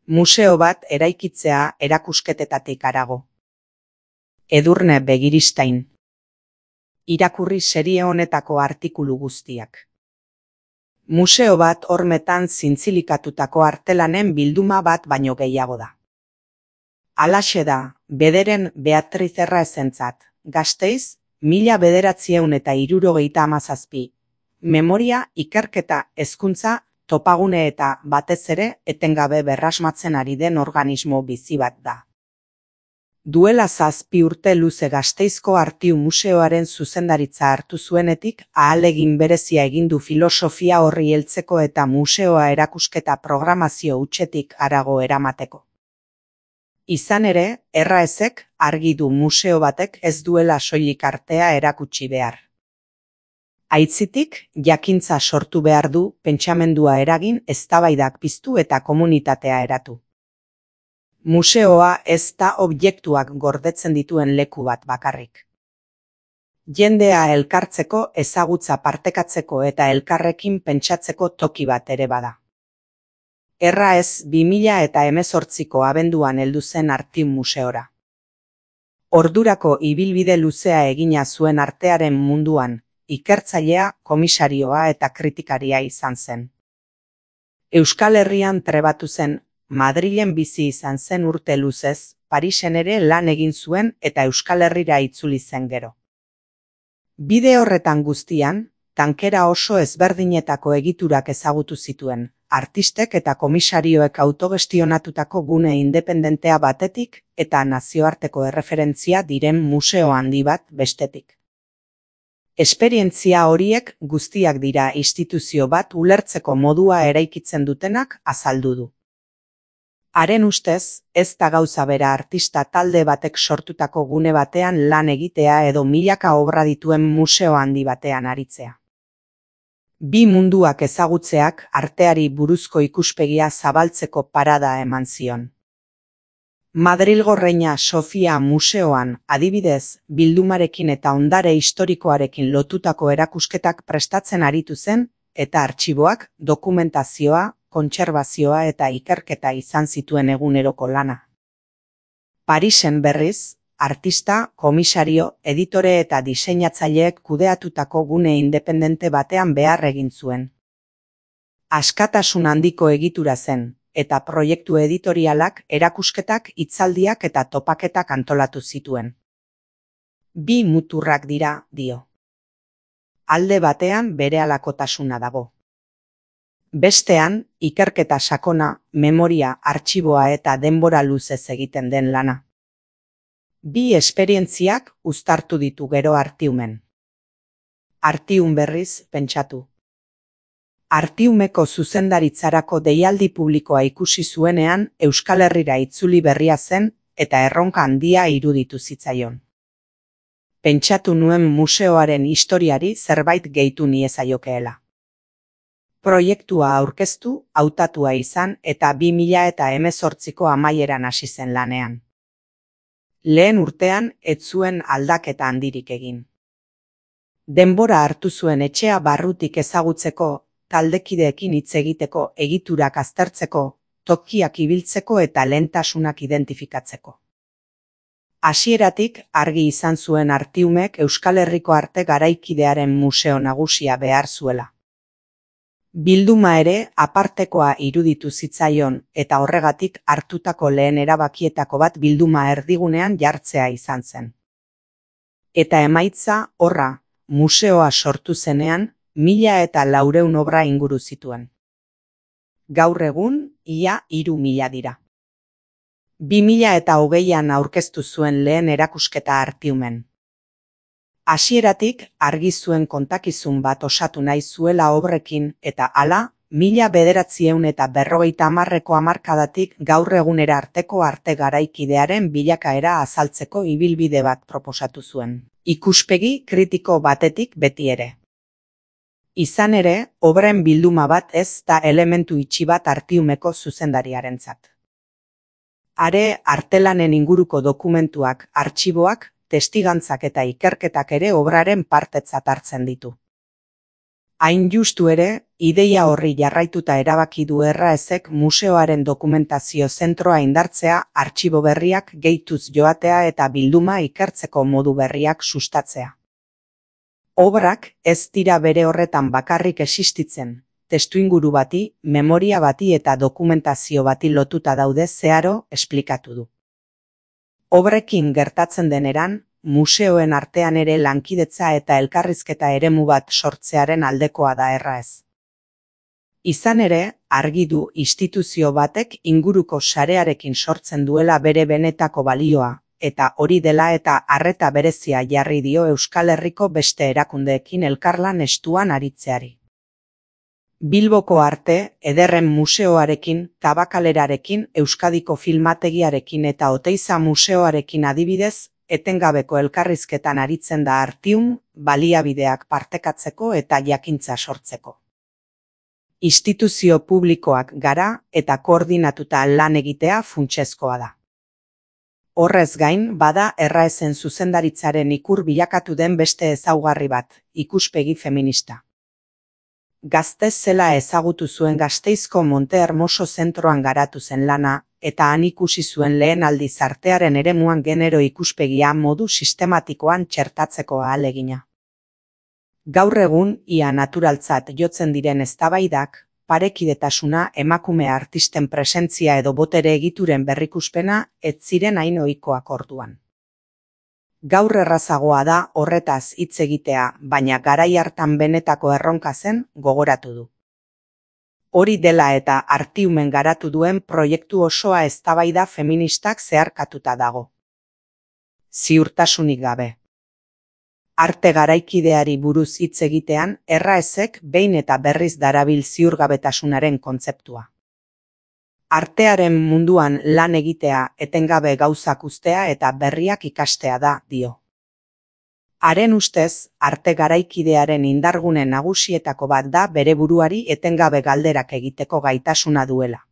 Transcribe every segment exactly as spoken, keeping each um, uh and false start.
Museo bat eraikitzea erakusketetatik harago. Edurne Begiristain. Irakurri serie honetako artikulu guztiak. Museo bat hormetan zintzilikatutako artelanen bilduma bat baino gehiago da. Halaxe da, bederen Beatriz Erraezentzat, Gasteiz, mila bederatziehun eta hirurogeita hamazazpi. Memoria, ikerketa, hezkuntza, topagune eta, batez ere, etengabe berrasmatzen ari den organismo bizi bat da. Duela zazpi urte luze Gasteizko Artiu Museoaren zuzendaritza hartu zuenetik, ahalegin berezia egin du filosofia horri heltzeko eta museoa erakusketa programazio hutsetik harago eramateko. Izan ere, Erraezek argi du museo batek ez duela soilik artea erakutsi behar. Aitzitik, jakintza sortu behar du, pentsamendua eragin, eztabaidak piztu eta komunitatea eratu. Museoa ez da objektuak gordetzen dituen leku bat bakarrik. Jendea elkartzeko, ezagutza partekatzeko eta elkarrekin pentsatzeko toki bat ere bada. Erraez bi mila eta hemezortziko abenduan heldu zen Artiu Museora. Ordurako ibilbide luzea egina zuen artearen munduan, ikertzailea, komisarioa eta kritikaria izan zen. Euskal Herrian trebatu zen, Madrilen bizi izan zen urte luzez, Parisen ere lan egin zuen eta Euskal Herrira itzuli zen gero. Bide horretan guztian, tankera oso ezberdinetako egiturak ezagutu zituen, artistek eta komisarioek autogestionatutako gune independentea batetik eta nazioarteko erreferentzia diren museo handi bat bestetik. Esperientzia horiek guztiak dira instituzio bat ulertzeko modua eraikitzen dutenak azaldu du. Haren ustez, ez da gauza bera artista talde batek sortutako gune batean lan egitea edo milaka obra dituen museo handi batean aritzea. Bi munduak ezagutzeak arteari buruzko ikuspegia zabaltzeko parada eman zion. Madrilgo Reina Sofia Museoan, adibidez, bildumarekin eta ondare historikoarekin lotutako erakusketak prestatzen aritu zen, eta artxiboak, dokumentazioa, kontserbazioa eta ikerketa izan zituen eguneroko lana. Parisen berriz, artista, komisario, editore eta diseinatzaileek kudeatutako gune independente batean behar egin zuen. Askatasun handiko egitura zen, eta proiektu editorialak, erakusketak, hitzaldiak eta topaketak antolatu zituen. Bi muturrak dira, dio. Alde batean berehalakotasuna dago. Bestean, ikerketa sakona, memoria, artxiboa eta denbora luzez egiten den lana. Bi esperientziak uztartu ditu gero Artiumen. Artium berriz pentsatu. Artiumeko zuzendaritzarako deialdi publikoa ikusi zuenean Euskal Herrira itzuli berria zen eta erronka handia iruditu zitzaion. Pentsatu nuen museoaren historiari zerbait gehitu niezaiokeela. Proiektua aurkeztu, hautatua izan eta bi mila eta hemezortziko amaieran hasi zen lanean. Lehen urtean ez zuen aldaketa handirik egin. Denbora hartu zuen etxea barrutik ezagutzeko, taldekideekin hitz egiteko, egiturak aztertzeko, tokiak ibiltzeko eta lehentasunak identifikatzeko. Hasieratik argi izan zuen Artiumek Euskal Herriko arte garaikidearen museo nagusia behar zuela. Bilduma ere apartekoa iruditu zitzaion eta horregatik hartutako lehen erabakietako bat bilduma erdigunean jartzea izan zen. Eta emaitza horra, museoa sortu zenean, mila eta laureun obra inguru zituen. Gaur egun, ia hiru mila dira. Bi mila eta hogeian aurkeztu zuen lehen erakusketa Artiumen. Hasieratik argi zuen kontakizun bat osatu nahi zuela obrekin eta hala, mila bederatziehun eta berrogeita hamarreko hamarkadatik gaur egunera arteko arte garaikidearen bilakaera azaltzeko ibilbide bat proposatu zuen. Ikuspegi kritiko batetik beti ere. Izan ere, obren bilduma bat ez da elementu itxi bat Artiumeko zuzendariarentzat. Are, artelanen inguruko dokumentuak, artxiboak, testigantzak eta ikerketak ere obraren partetzat hartzen ditu. Hain justu ere, ideia horri jarraituta erabaki du Erraezek museoaren dokumentazio zentroa indartzea, artxibo berriak gehituz joatea eta bilduma ikertzeko modu berriak sustatzea. Obrak ez dira bere horretan bakarrik existitzen, testuinguru bati, memoria bati eta dokumentazio bati lotuta daude zeharo esplikatu du. Obrekin gertatzen deneran, museoen artean ere lankidetza eta elkarrizketa eremu bat sortzearen aldekoa da Erraez. Izan ere, argi du instituzio batek inguruko sarearekin sortzen duela bere benetako balioa, eta hori dela eta arreta berezia jarri dio Euskal Herriko beste erakundeekin elkarlan estuan aritzeari. Bilboko Arte Ederren Museoarekin, Tabakalerarekin, Euskadiko Filmategiarekin eta Oteiza Museoarekin adibidez, etengabeko elkarrizketan aritzen da Artium, baliabideak partekatzeko eta jakintza sortzeko. Instituzio publikoak gara eta koordinatuta lan egitea funtsezkoa da. Horrez gain, bada Erraezen zuzendaritzaren ikur bilakatu den beste ezaugarri bat, ikuspegi feminista. Gaztez zela ezagutu zuen Gasteizko Monte Hermoso zentroan garatu zen lana, eta han ikusi zuen lehen aldiz artearen eremuan genero ikuspegia modu sistematikoan txertatzeko ahalegina. Gaur egun, ia naturaltzat jotzen diren eztabaidak, parekidetasuna, emakume artisten presentzia edo botere egituren berrikuspena ez ziren hain ohikoak orduan. Gaur errazagoa da horretaz hitz egitea, baina garai hartan benetako erronka zen gogoratu du. Hori dela eta Artiumen garatu duen proiektu osoa eztabaida feministak zeharkatuta dago. Ziurtasunik gabe. Arte garaikideari buruz hitz egitean, Erraezek behin eta berriz darabil ziurgabetasunaren kontzeptua. Artearen munduan lan egitea, etengabe gauzak uztea eta berriak ikastea da, dio. Haren ustez, arte garaikidearen indargune nagusietako bat da bere buruari etengabe galderak egiteko gaitasuna duela.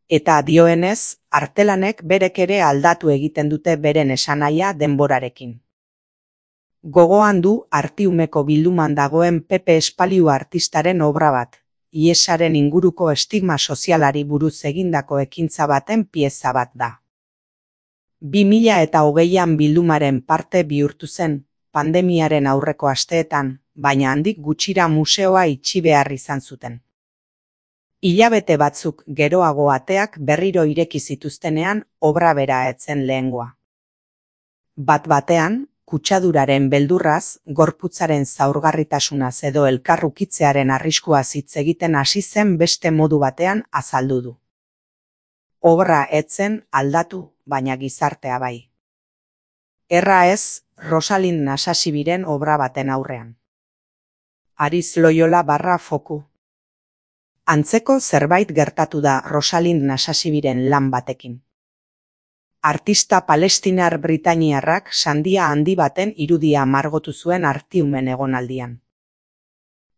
Eta dioenez, artelanek berek ere aldatu egiten dute beren esanahia denborarekin. Gogoan du Artiumeko bilduman dagoen Pepe Espaliu artistaren obra bat, iesaren inguruko estigma sozialari buruz egindako ekintza baten pieza bat da. bi mila eta hogeian bildumaren parte bihurtu zen, pandemiaren aurreko asteetan, baina handik gutxira museoa itxi behar izan zuten. Hilabete batzuk geroago ateak berriro ireki zituztenean obra bera etzen lehengoa. Bat batean, kutsaduraren beldurraz, gorputzaren zaurgarritasunaz edo elkarrukitzearen arriskuaz hitz egiten hasi zen beste modu batean azaldu du. Obra etzen aldatu, baina gizartea bai. Erraez, Rosalind Nasasibiren obra baten aurrean. Ariz Loyola barra foku. Antzeko zerbait gertatu da Rosalind Nasasibiren lan batekin. Artista palestinar britainiarrak sandia handi baten irudia margotu zuen Artiumen egonaldian.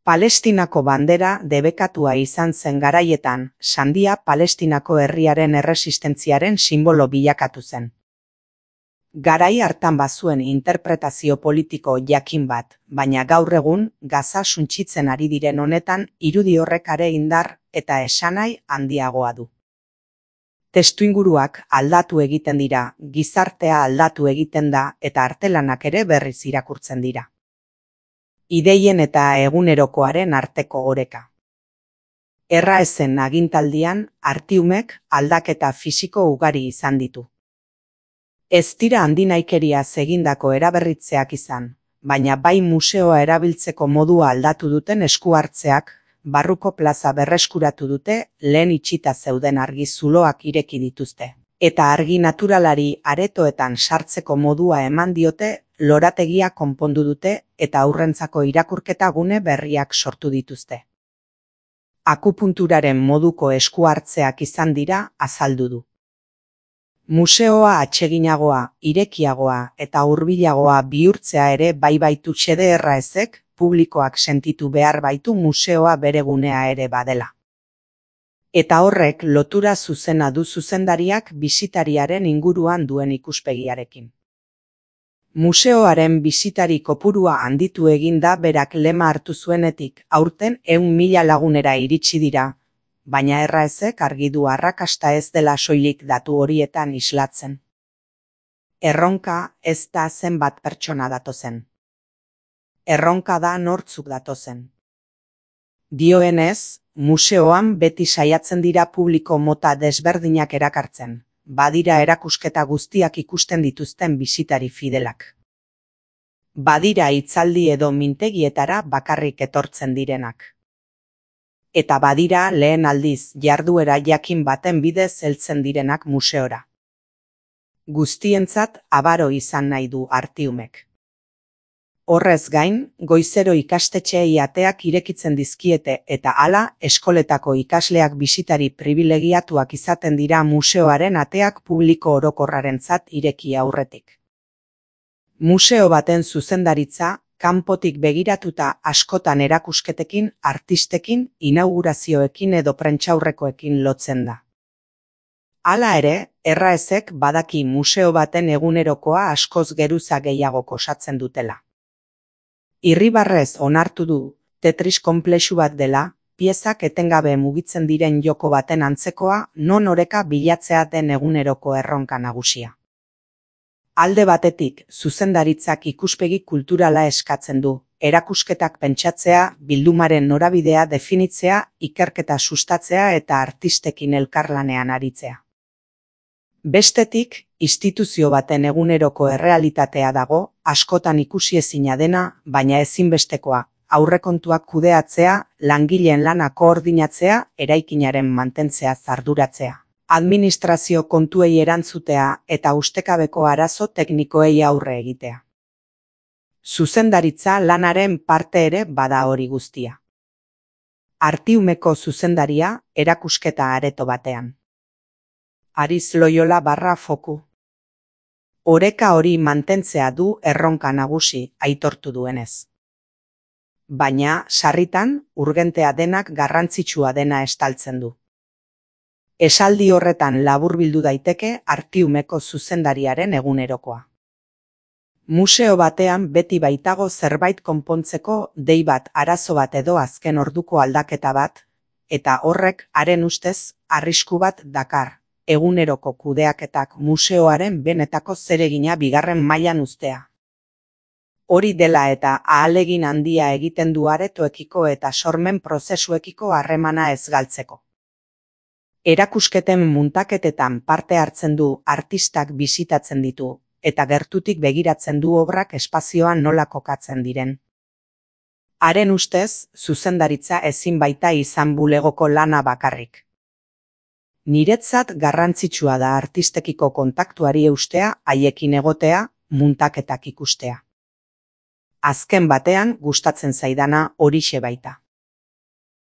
Palestinako bandera debekatua izan zen garaietan, sandia Palestinako herriaren erresistentziaren sinbolo bilakatu zen. Garai hartan bazuen interpretazio politiko jakin bat, baina gaur egun Gaza suntsitzen ari diren honetan irudi horrek are indar eta esanahi handiagoa du. Testuinguruak aldatu egiten dira, gizartea aldatu egiten da eta artelanak ere berriz irakurtzen dira. Ideien eta egunerokoaren arteko oreka. Erraezen agintaldian, Artiumek aldaketa fisiko ugari izan ditu. Ez dira handinaikeriaz egindako eraberritzeak izan, baina bai museoa erabiltzeko modua aldatu duten esku hartzeak, barruko plaza berreskuratu dute, lehen itxita zeuden argi zuloak ireki dituzte. Eta argi naturalari aretoetan sartzeko modua eman diote, lorategia konpondu dute eta aurrentzako irakurketa gune berriak sortu dituzte. Akupunturaren moduko esku hartzeak izan dira, azaldu du. Museoa atseginagoa, irekiagoa eta hurbilagoa bihurtzea ere bai baitu xede Erraezek, publikoak sentitu behar baitu museoa bere gunea ere badela. Eta horrek lotura zuzena du zuzendariak bisitariaren inguruan duen ikuspegiarekin. Museoaren bisitari kopurua handitu egin da berak lema hartu zuenetik, aurten ehun mila lagunera iritsi dira, baina erraezek argi du arrakasta ez dela soilik datu horietan islatzen. Erronka ez da zenbat pertsona datozen. Erronka da nortzuk datozen. Dioenez, museoan beti saiatzen dira publiko mota desberdinak erakartzen, badira erakusketa guztiak ikusten dituzten bisitari fidelak. Badira hitzaldi edo mintegietara bakarrik etortzen direnak. Eta badira lehen aldiz jarduera jakin baten bidez heltzen direnak museora. Guztientzat abaro izan nahi du Artiumek. Horrez gain, goizero ikastetxeei ateak irekitzen dizkiete eta hala eskoletako ikasleak bisitari pribilegiatuak izaten dira museoaren ateak publiko orokorrarentzat ireki aurretik. Museo baten zuzendaritza, kanpotik begiratuta askotan erakusketekin, artistekin, inaugurazioekin edo prentsaurrekoekin lotzen da. Hala ere, erraezek badaki museo baten egunerokoa askoz geruza gehiago osatzen dutela. Irribarrez onartu du, Tetris konplexu bat dela, piezak etengabe mugitzen diren joko baten antzekoa, non oreka bilatzea den eguneroko erronka nagusia. Alde batetik, zuzendaritzak ikuspegi kulturala eskatzen du, erakusketak pentsatzea, bildumaren norabidea definitzea, ikerketa sustatzea eta artistekin elkarlanean aritzea. Bestetik, instituzio baten eguneroko errealitatea dago, askotan ikusiezina dena, baina ezinbestekoa, aurrekontuak kudeatzea, langileen lana koordinatzea, eraikinaren mantentzea arduratzea. Administrazio kontuei erantzutea eta ustekabeko arazo teknikoei aurre egitea. Zuzendaritza lanaren parte ere bada hori guztia. Artiumeko zuzendaria erakusketa areto batean. Ariz Loyola barra foku. Oreka hori mantentzea du erronka nagusi, aitortu duenez. Baina, sarritan, urgentea denak garrantzitsua dena estaltzen du. Esaldi horretan laburbildu daiteke Artiumeko zuzendariaren egunerokoa. Museo batean beti baitago zerbait konpontzeko dei bat arazo bat edo azken orduko aldaketa bat, eta horrek haren ustez arrisku bat dakar, eguneroko kudeaketak museoaren benetako zeregina bigarren mailan uztea. Hori dela eta ahalegin handia egiten du aretoekiko eta sormen prozesuekiko harremana ez galtzeko. Erakusketen muntaketetan parte hartzen du, artistak bisitatzen ditu, eta gertutik begiratzen du obrak espazioan nola kokatzen diren. Haren ustez, zuzendaritza ezin baita izan bulegoko lana bakarrik. Niretzat garrantzitsua da artistekiko kontaktuari eustea, haiekin egotea, muntaketak ikustea. Azken batean gustatzen zaidana horixe baita.